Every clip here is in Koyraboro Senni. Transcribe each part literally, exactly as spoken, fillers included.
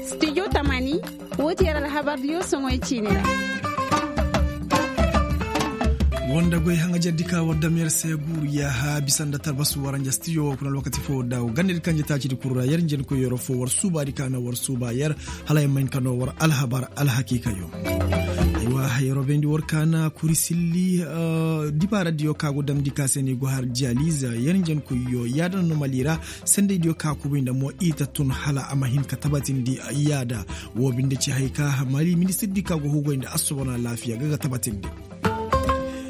Studio tamani. Wo ti yer alhabar diyo soŋoy ciini ra. Wanda goy haŋajer di ka war dam yer se guuru yaaha bisa nda tarbasu waranja stiyo wo kuna lokaci fo da wo ganda di kanje taaci di kuru ra yer njen koy yero fo war suuba di ka na war suuba yer. Hala yer ma hin ka no war alhabar alhakiikayo. Aywa, yeroo bayndi war ka na kuri silli dibaara diyo ka go damndi ka se no i go har diyaliz yer njen koy yo yaada no mali ra. Sendey diyo ka kubay nda mo i ta tun hala a ma hin ka tabatindi yaada. Woo binde ci hay ka mali ministir di ka go hugay nda assobona laafiya ga ga tabatindi.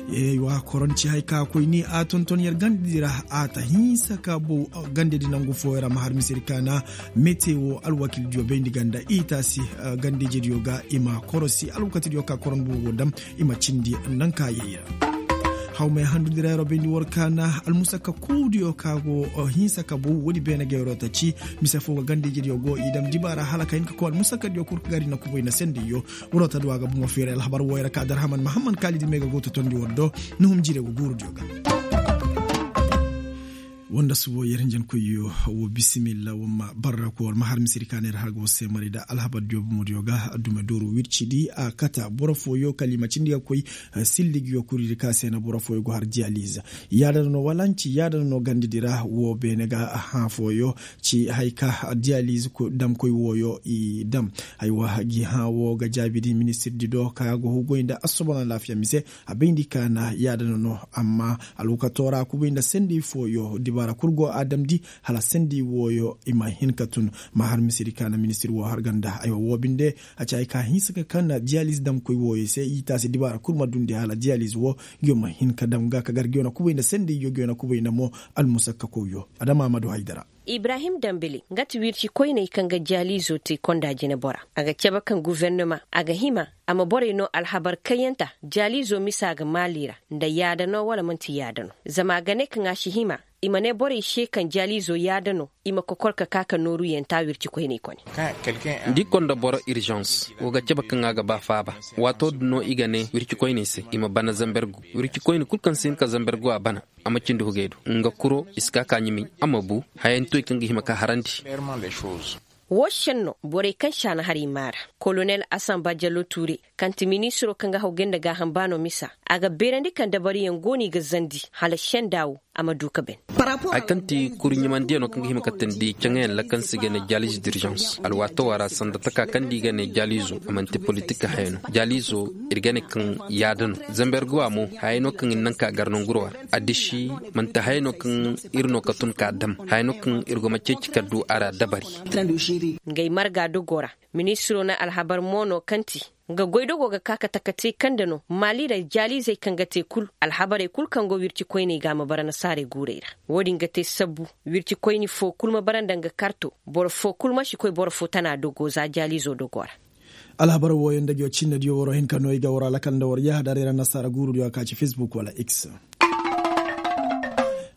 Yeewa koron ci hay ka koy ni a tonton yer gande di ra. A ta hinsa ka bow gande di nangu fooyo ra ma har misedi ka na mete woo alwakil diyo bayndi ganda i taasi. Gande ije diyo ga i ma korosi alwakati diyo ka koron bow go dam i ma cindi. Nanka yay ra. Hawmay handu di ra yeroo bayndi war ka na almusakka kuudiyo ka go hinsa ka bow woodi beene ga yeroo ta ci. Mise foo ga gande ije diyo go i dam dibaara hala ka hin ka koy almusakka diyo kul ka gari na kubay na sendey yo. Waroo ta du a ga bomo feeray alhabar wooyo ra ka darhaman mahamman kaalidi me ga go totondi war do. Nuhum jiire go guuru diyo ga. Wanda subo yer hinjankoyyo. Wo bisimilla wamma barra ko war ma har misiri ka ne ra har go se mari da alhabar diyo bomo diyo ga dume dooru wirci di a kata boro fooyo kala i ma cindi ga koy. Silli gi yo kuri di ka se na boro fooyo go har diyaliz. Yaada no walanci yaada no gandi di ra wo beene ga hã fooyo. Ci hay ka diyaliz dam koy wooyo i dam. Aywa gi hã wo ga jaabi di ministir di do ka go hugoy nda assobona laafiya mise. A bayndi ka na yaada no no amma alwakato ra kubay nda sendey fooyo dibaara kul go a damndi. Hala sendey wooyo i ma hin ka tun. Ma har misiri ka na ministir woo har ganda aywa woo binde. A ci hay ka hinsa ka kan na diyaliz dam koy wooyo se i taasi dibaara kul ma dundi hala diyaliz woo. Ngiyo ma hin ka dam ga ka gar ngiyo na kubay nda sendey yo ngiyo na kubay nda mo. Almusakka koyyo adama amadu haydara. Ibrahim dambili nga ti wirci koyney kaŋ ga jaaliizo te konda jinebora. A ga cabe kaŋ guvernema a ga hima a ma borey no alhabar kayyanta. Jaaliizo misa ga maali ra nda yaada no wala man'ti yaada no. Zama a ga ne kaŋ a si hima i ma ne borey se kaŋ jaaliizo yaada no. I ma kokor ka ka ka nooru yanta wirci koyney kone. Nda i konda boro irzans wo ga cabe kaŋ a ga ba faaba. Waato din no i ga ne wirci koyney se i ma bana zambergu wirci koyne kul kaŋ si hin ka zambergu a bana. A ma cindi hugey do nga kuro i si ka ka ɲumay a ma bu. Hayantoy kaŋ ga hima ka harandi. Woo senno borey kaŋ si a na har i maara kolonel asanba jallo tuure kaŋ ti ministiro kaŋ ga haw gay nda gaaham baano misa. A ga beerandi kaŋ dabariyaŋ go no i ga zandi hala senda wo. A ma du ka ben. Hari kaŋ ti kuri ɲumandiyaŋo kaŋ ga hima ka tindi caŋayaŋ lakansi ga ne jalis dirzans alwaatowa ra sanda taka kaŋ da i ga ne jalizo a man'ti politik haya no. Jalizo ir ga ne kaŋ yaada no. Zamber guwa mo haya no kaŋ ir naŋ ka gar nangurwa. Addiši man'ti haya no kaŋ ir no ka tun ka dam haya no kaŋ ir go ma ceeci ka du a ra dabari. Ngey marga dogo ra ministiro na alhabar mo no kaŋ ti nga goydogo ga ka ka taka te kaŋ da no maali ra jaalizey kaŋ ga te kul alhabarey kul kaŋ go wirci koyney ga a ma bara nasaarey guurey ra. Wo-din ga te sabbu wirci koyni fo kul ma bara nda nga karto boro fo kul ma si koy boro fo tana dogo za jaalizo dogo ra. Alhabar wooyo nda ngiyo cinnediyo waro hin ka no i ga waro alakal nda war yahadaray ra nasaara guurudiyo a ka ci fesbuk wala x.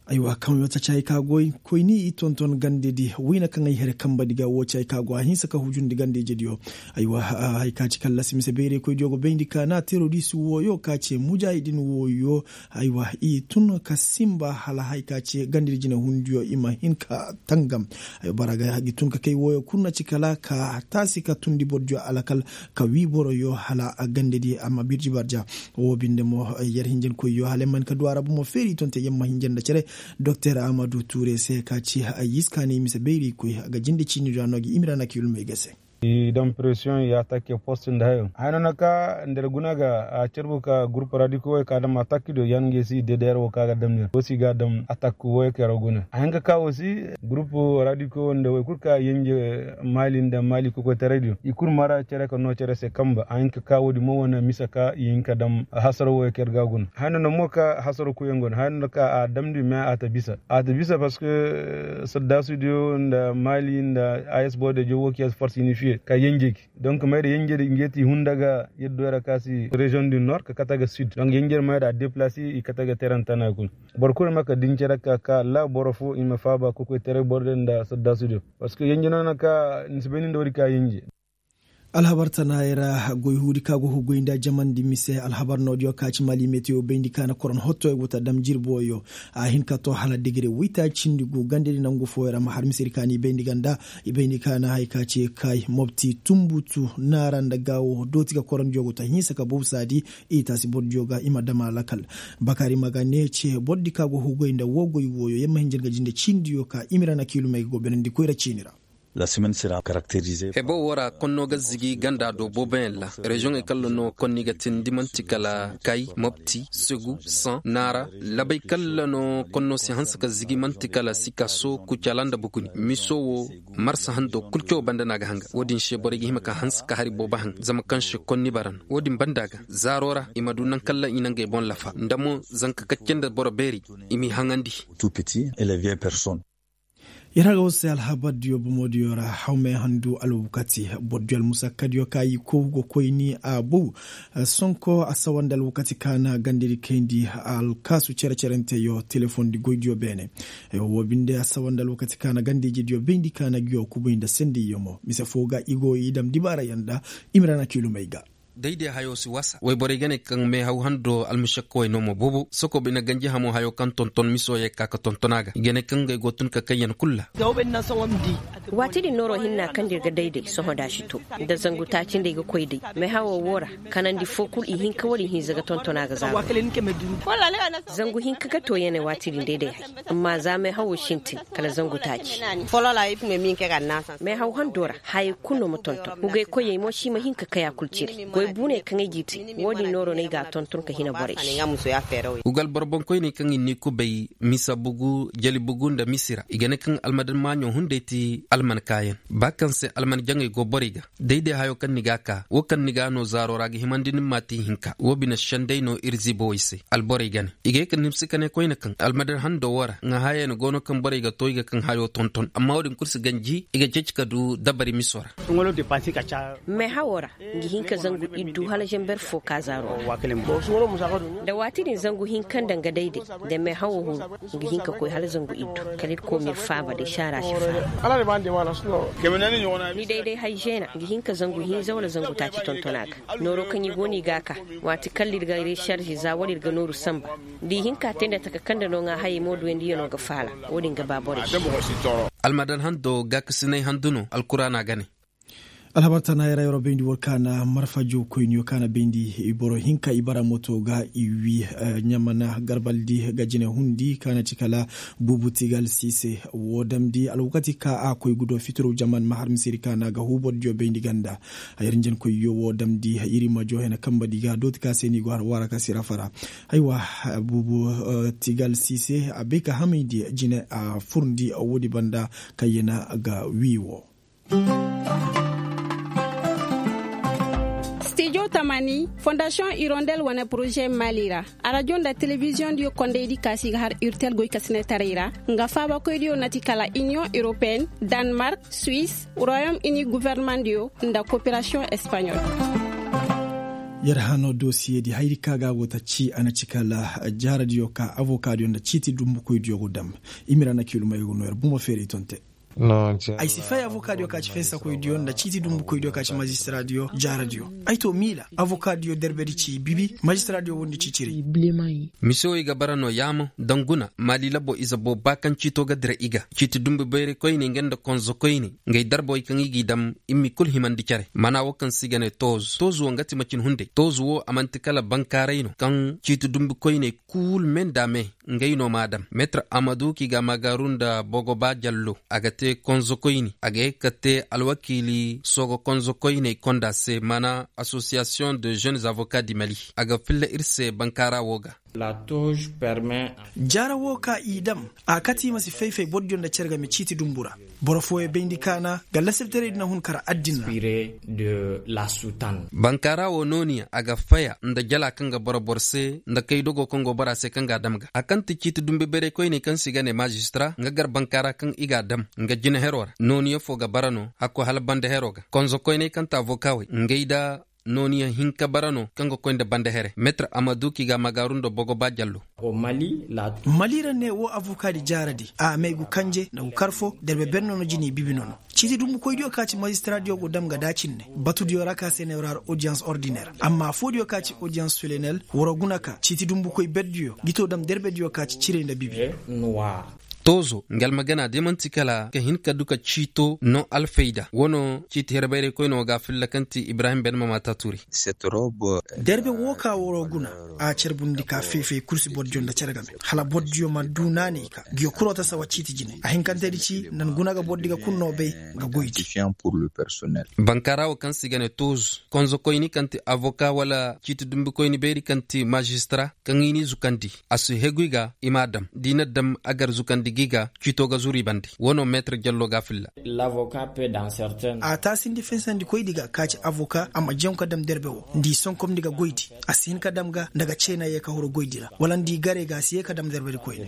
Aywa kaŋ yo taci hay ka goy koyni i tonton gandedi wayna kaŋ ay here kambedi ga wo ci hay ka go a hinsa ka hujundi gandejediyo. Aywa hay ka ci kallasi mise bayraykoydiyo go bayndi ka na terodis wooyo ka ce mujahidin wooyo. Aywa i tun ka sinba hala hay ka ce gandedi jinehundiyo i ma hin ka tangam. Ay bara ga gi tun ka kay wooyo kul na ci kala ka taasi ka tundi bordiyo alakal ka wii boroyo hala gandedi amma birji barja. Woo binde mo yer hinjankoyyo hala yer ma hin ka du a ra bomo feeri tonte yer ma hinja nda cere. Doktor amadu tuure se ka ci ay yiskaani mise bayraykoy ga jinde ciini do a no gi imira na ka yulmey ga se. I dam presiyoŋ i atake post nda hayo haya no na ka nda ir guna ga a carbu ka gurup radiko wey ka dam atak diyo yan ga i si dedeer wo ka ga dam nir wo si ga dam atak wo kero guna a hin ka ka wo si. Gurup radiko wo nda wey kul ka yenje maali nda maali kokoytaray diyo i kul mara cere ka no cere se kamba a hin ka ka wo-din mo wane misa ka i hin ka dam hasaro wo kero ga guna haya no na mo ka hasaro koyaŋ go no haya no na ka a damndi me a ta bisa a ta bisa parceque saddaasu diyo nda maali nda as boro diyo jowo kiya force unifiye ka yenje gi. Donc mayra yenjer nge ti hunda ga yaddo ra ka si région du nord ka kate ga sud donc yenjer mayra a déplacer i kate ga terrain tana kul. Boro kulu ma ka dince ra ka ka la boro fo i ma faaba kokoy tere boro din nda sadda studio. Parce que yenje no na ka ni si bay ni nda wari ka yenje. Alhabar tanaayey ra goy huudi ka go ga goy nda jamandi mise alhabar noodiyo ka ci mali metiyo bayndi ka na koron hottoyo go ta dam jirboyo. A hin ka to hala degere waytaaci cindi gu gandedi nangu fooyo ra ma har misedi ka na i bayndi ganda. I bayndi ka na haya ka ci kay mobti tunbutu naara nda gaawo dooti ga korondiyo go ta hinsa ka bawsaadi. I taasi bordiyo ga i ma dam a lakal. Bakari ma ga ne ce bordi ka go ga goy nda woo goy wooyo yer ma hin jar ga jinde ciinidiyo ka i ma ir ana kiilumey ga go benandi koyra ciini ra. Hebo woo ra konno ga zigi ganda do booboyaŋ ra. Reziyoŋey kalla no konni ga tindi man'ti kala kay mopti segu san naara. Labey kalla no konno si hanse ka zigi man'ti kala sikaso kucala nda bukuni miso woo. Marsa hando kul caw banda no a ga hanga woo din se borey ga hima ka hanse ka hari boobo haŋ zama kaŋ se konni bara no woo din banda ga zaaro ra i ma du naŋ kalla i na ngey boŋ lafa nda mo zanka kacce nda boro beeri. I m'i haŋandi. Yer haga war se alhabar diyo bomo diyo ra hawmey handu alwakati boro diyo almusakka diyo ka i kow ga koyni a bow. Sonko a sawandi alwakati ka na gandedi kayndi alkaasu cere-cerenteyo telefoŋ di goy diyo beene. Woo binde a sawandi alwakati ka na gandiji diyo bayndi ka na ngiyo kubay nda sendiyo mo mise foo ga i go i dam dibaarayaŋ nda. I ma ra na kiilumey ga. Day-day hayo si wasa wayborey ga ne kaŋ meehaw hando almušakkawey no mo boobo sokob i na ganji hamo hayo kaŋ tonton miso yee ka ka tonton a ga i ga ne kaŋ ngey go tun ka kayyaŋ kul ra. Waati din nooro hinna kaŋ da ir ga day-day sohõ da a si to nda zangu taaci nda i ga koy day meehawoo woo ra. Kanandi foo kul i hinka wala i hinza ga tonton a ga zaaro. Zangu hinka ga tooyaney waati din day-day hay amma za meehawoo sintin kala zangu taaci. Meehaw handoo ra hayey kul no ma tonton hugay koyey mo si ma hin ka kay a kul cire goy buuney kaŋ ay g'i te. Woo din nooro no ay g'a tonton ka hina borey se. Hugal boro boŋkoyney kaŋ i n'i kubay misa bugu jali bugu nda misira i ga ne kaŋ almadan maaɲo hunday ti alman kaayaŋ ba kaŋ se alman jaŋey go borey ga. Day-day hayo kaŋ ni g'a kaa woo kaŋ ni g'a no zaaro ra ga himandi ni ma te ihinka woo bine senday no ir ziibowey se alborey ga ne. I ga ye ka nimsi ka ne koyne kaŋ almadan hando woo ra ŋaahaayey no go no kaŋ borey ga to i ga kaŋ hayo tonton amma woo din kul si ganji i ga ceeci ka du dabari miso ra. Meehawoo ra nga hin ka zangu iddu hala zamber foo ka zaaro ra. Nda waati din zangu hinka nda nga dayday nda meehawoo huru nga hin ka koy hala zangu iddu kala ir koo ma ir faaba day saara si faaba. Ni dayday hay zeena nga hin ka zangu hinza wala zangu taaci tonton a ga. Nooroo kaŋ i go no i g'a kaa waati kalla ir ga reserze za wala ir ga nooru sanba. Da i hin ka te nda taka kaŋ nda no ŋaa hayey mo duyandiyanoo ga faala. Woo din ga ba borey se. Almadan hando gaakasinay handu no alkuraana ga ne. Alhabar tana yaŋ ra yeroo bayndi war kaana marfa jawkoyniyo kaana bayndi boro hinka i bara moto ga i wi ɲamana garbaldi ga jine hundi kaana ci kala buubu tigal siise. Woo damndi alwakati ka a koy gudo fitiro jaman ma har misiri kaana ga huubordiyo bayndi ganda. Yer njenkoyyo woo damndi iri ma joo hena kambadi ga dooti ka se ni go har waara ka si rafara. Aywa, buubu tigal siise a bay ka hamayndi jine a furndi woodi banda kaŋ yena ga wii woo. Stijo tamani fondasiyoŋ irondel wane poroze mali ra. Arajo nda telebiziyoŋ diyo kondaydi kaasi ga har urtel goy kasinetaray ra nga faabakoydiyo na ti kala iniyoŋ europeyen, danmark, suwis, royom ini governemandiyo nda koperasiyoŋ espaɲol. Yer hano dosiyedi hayri ka ga go ta ci a na ci kala jaaradiyo ka avokaadiyo nda ciiti dumbukoydiyo go dam. Imira na kilumay go no yer bumo feeri tonte. Ay si fay avokaadiyo ka ci fensakoydiyo nda ciiti dumbukoydiyo ka ci mazistiradiyo jaaradiyo. Ay to miila avokaadiyo derbedi ci bibi mazistiradiyo wondi ci ciri. Misewey ga bara no yaamo danguna maali labo ize booba kaŋ ciito ga dira i ga ciiti dumbu bayray koyne nga nda konzo koyne. Ngey darbawey kaŋ i g'i dam i m'i kul himandi care mana wo kaŋ se i ga ne toozu toozu wo nga ti macin hunday toozu wo a man'ti kala bankaaray no kaŋ ciiti dumbu koyney kul me nda me. Ngey no m'a dam meetir amadu k'i ga a maagaaru nda bogoba jallo a ga te konzo koyne a ga ye ka te alwakiili soogo konzo koyney konda se mana asosiyasiyoŋ de jeunes avoka di mali. A ga filla ir se bankaara wo ga. Jaara wo ka i dam a kate i ma si fay-fay bordiyo nda cere game ciiti dumbu ra. Boro fooyaŋ bayndi kaana ga lasabtaray din a hun kara addin ra. Bankaara wo nooniya a ga faya nda jala kaŋ ga boro boro se nda kaydogo kaŋ go bora se kaŋ ga a dam ga a kaŋ ti ciiti dumbu bayray koyney kaŋ se i ga ne maazistira nga gar bankaara kaŋ i ga a dam nga jina hero ra nooniya fo ga bara no hakko hala banda hero ga konzo koyney kaŋ ti avokawey ngey nda Nooniyaŋ hinka bara no kaŋ ga koy nda banda here meetir a ma du k'i ga a ma gaaru nda bogo ba jallo. Mali ra ne woo avoka di jaaradi a may gu kanje nda gu kar foo derbe ber no no jini bibi no no. Ciiti dumbukoydiyo ka ci mazistara diyo go dam ga da cinne batudiyo ra ka se ne war har odiyans ordiner amma affoo diyo ka ci odiyans solenel war guna ka ciiti dumbukoy berdiyo gito dam derbediyo ka ci ciray nda bibi. Toozo nga almagana de man'ti kala ka hin ka du ka ciito no alfayda wano ciiti herbayraykoyne wo ga a filla kaŋ ti ibrahim ben mama taaturi. Derbe woo ka waroo guna a carbundi ka fay-fay kul si bordiyo nda cere game hala bordiyo ma du naanay ka ngiyo kul wo ta sawa ciiti jine a hinkantedi ci nda ni guna ga bordi ga kul no bay ga goydi. Bankaara wo kaŋ se i ga ne toozo konzokoyni kaŋ ti avoka wala ciiti dumbikoyni bayri kaŋ ti mazistara kaŋ i n'i zukandi a si hegu i ga i m'a dam da i na dam a gar zukandi ga i ga ciito ga zuru i bande woo no meetir jallo ga a filla. A taasindi finsandikoydi ga ka ci avoka a ma jaŋ ka dam derbe wo nda i sonkomndi ga goydi a si hin ka dam ga nda ga ceena ye ka huru goydi ra wala nda i garey ga a si ye ka dam derbedikoyne.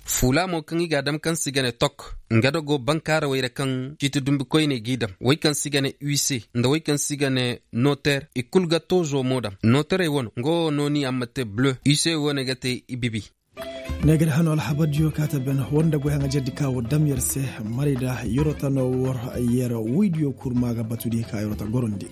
Fuula mo kaŋ i ga a dam kaŋ se i ga ne tok nga da go bankaarawey ra kaŋ ciiti dumbikoyney g'i dam wey kaŋ se i ga ne use nda wey kaŋ se i ga ne noter i kul ga toozo mo dam noterey wano nga wo nooni a ma te bleu use wo ne ga te i bibi. Ne ga da hano alhabardiyo ka ta ben war nda goy haŋa jardi ka war dam yer se maray da yerota no war yer woydiyo kurma ga batudi ka yerota gorondi.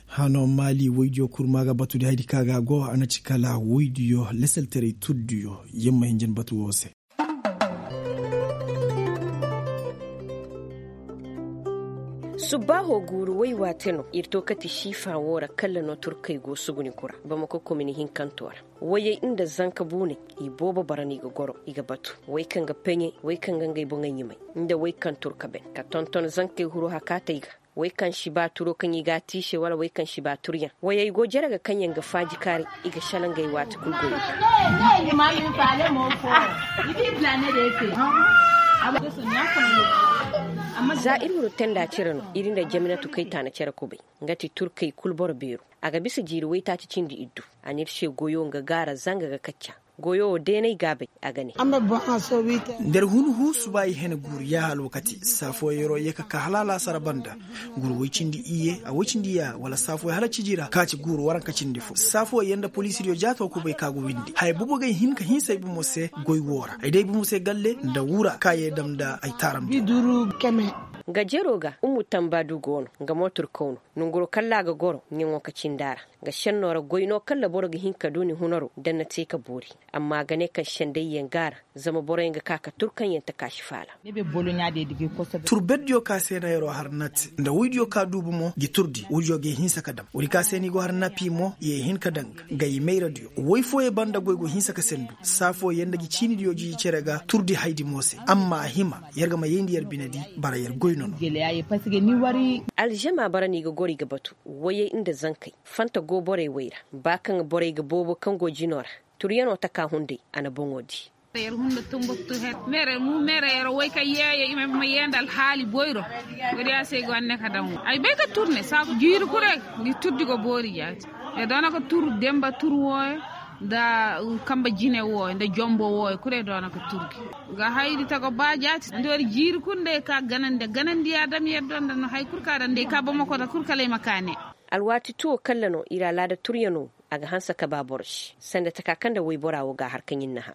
Hano maali woydiyo kurma ga batudi haydi ka ga go a na ci kala woydiyo leselterey turdiyo yer ma hin jin batu wo se. Subbaaho guuru way waate no ir to kati siifa woo ra kalla no turkey go suguni kura bamako komini hinkanto ra. Wayey nda zanka buuney i boobo bara no i ga goro i ga batu way kaŋ ga peɲe way kaŋ ga ngey boŋey ɲumay nda way kaŋ turka ben ka tonton zankey huru hakaatey ga. Wey kaŋ si ba turo kaŋ i ga a tiise wala wey kaŋ si ba turyaŋ wayey go jere ga kaŋyaŋ ga faaji kaari. I ga shala ngey waati kul goyey. Za ir wuro tenda cere no ir nda jaminatu kay taana cere kubay. Nga ti turkey kul boro beeru a ga bisa jiiri waytaaci cindi iddu. A n'ir se goyo nga gaara zanga ga kacca. Goyo wo deenay gaabay a ga ne. Nda ir hun huu suba i hene guuru yaaha alwakati saafo yeroo ye ka kaa hala alaasara banda. Guuru woy cindi iyye a woy cindi yaaha wala saafo hala ciji ra ka ci guuru waranka cindi fo saafo yer nda poliisidiyo jaato kubay ka go windi haya boobo ga ay hin ka hinsa ay bomo se. Goy woo ra ay day bomo se galle nda wura ka ye dam nda ay taaram. Nga jeroo ga ummu tamba du go no. Nga mo turkaw no nonguroo kalla a ga goro ɲaŋo ka cindi a ra. Nga šennoo ra goy no kalla boro ga hin ka du ni hunaroo da ni na te ka boori. Amma a ga ne kaŋ sendayyaŋ go a ra. Zama boroyaŋ ga ka ka tur kaŋ yaŋ ta kaasi faala. Tur berdiyo ka se na yeroo har nat nda woydiyo ka duubu mo gi turdi woydiyo ga ay hinsa ka dam woodi ka se no i go har napi mo i ye hin ka daŋ ga i mayradiyo woy fooyey banda goy go hinsa ka sendu. Saafo yer nda gi ciinidiyo jiji cere ga turdi haydi mo se amma a hima yer ga ma yayndi yer binedi. Bara yer goy no no. Alžama bara no i ga goro i ga batu woyey nda zankey fanta go borey wey ra. Ba kaŋ borey ga boobo kaŋ go jinoo ra turyanoo taka hunday a na boŋo dii. Yer hunda tumbuktu her mere mu mere yer woy ka yeeye i ma yee nda alhaali boyro. Woodiya se i go anne ka daŋ wo ay bay ka tur ne saaku jiiri kul re. Ni turdi go boori jaati. Yer doona ka tur demba tur wooyo nda kamba jine wooyo nda jombo wooyo kul yer doona ka turdi. Ga haydi tago ba jaati nda yer jiiri kul nda yer ka ganandi ganandi ya dam yer doona nda no hay kul ka daŋ nda yer ka bamako nda kul kala ay ma ka ne. Alwaati tuwo kalla no ir alaada turyanoo. A ga hanse ka ba boro se sanda taka kaŋ nda woyboraa woo ga a har ka ɲin na hã.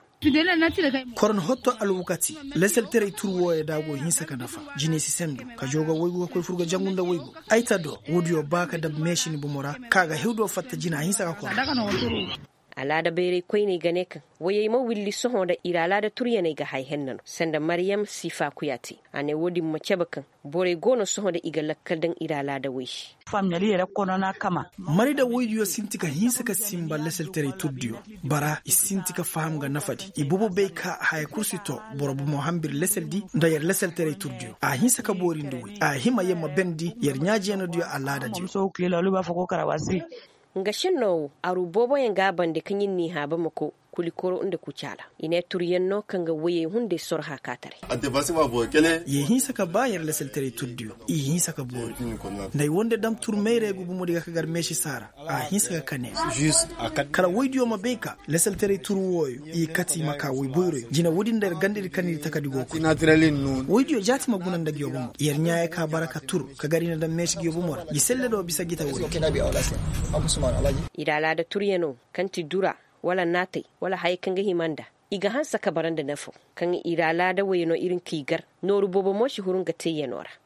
Korono hotto alwakati. Leselterey tur wooyo da a go hinsa ka nafa. Jiney si sendu ka joo ga woygu ka koy fur ga jangu nda woygu. Ay ta do woodiyo ba ka dab meesi ni bomo ra. Ka ga hew do fatta jina hinsa ka koro. Alaada bayray koyney ga ne kaŋ woyey ma willi sohõ nda ir alaada turyaney ga hay henna no sanda maryam sifa kuya te. A ne woodin ma cabe kaŋ borey go no sohõ nda i ga lakkal daŋ ir alaada woy se. Mari nda woydiyo sinti ka hinsa ka simba leselterey turdiyo. Bara i sinti ka faham ga nafadi i boobo bay ka haya kul si to. Boro bomo hambir leseldi nda yer leselterey turdiyo a hinsa ka boori nda woy a hima yer ma bendi yer ɲaajeenoodiyo alaadadiyo. Nga šennoo woo aru booboyaŋ ga a bande kaŋ ir n'i hã bamako. kulikoro nda kucaala. I ne turyaŋ no kaŋ ga woyey hunday soro haakaataray. Yee hinsa ka ba yer lasaltaray turdiyo i hinsa ka boori. Nda ay wonde dam tur mayray ga gumudi ga ka gar meesi saara. A hinsa ka kane kala woydiyo ma bay ka lasaltaray tur wooyo i kati i ma ka woy boyroyo jina woodin nda yer gandadi kanidi takadi go koy. Woydiyo jaati ma guna nda ngiyo bomo yer ɲaayey ka bara ka tur ka gar i na dam meesi ngiyo bomo ra ngi selle do bisa gita woy. I ra laada turyanoo kaŋ ti dura wala naatay wala hayey kaŋ ga hima nda i ga hanse ka bara nda nafoo kaŋ i ra laada woyyanoo ir nka i gar. Nooru boobo mo si huru nga teeyanoo ra.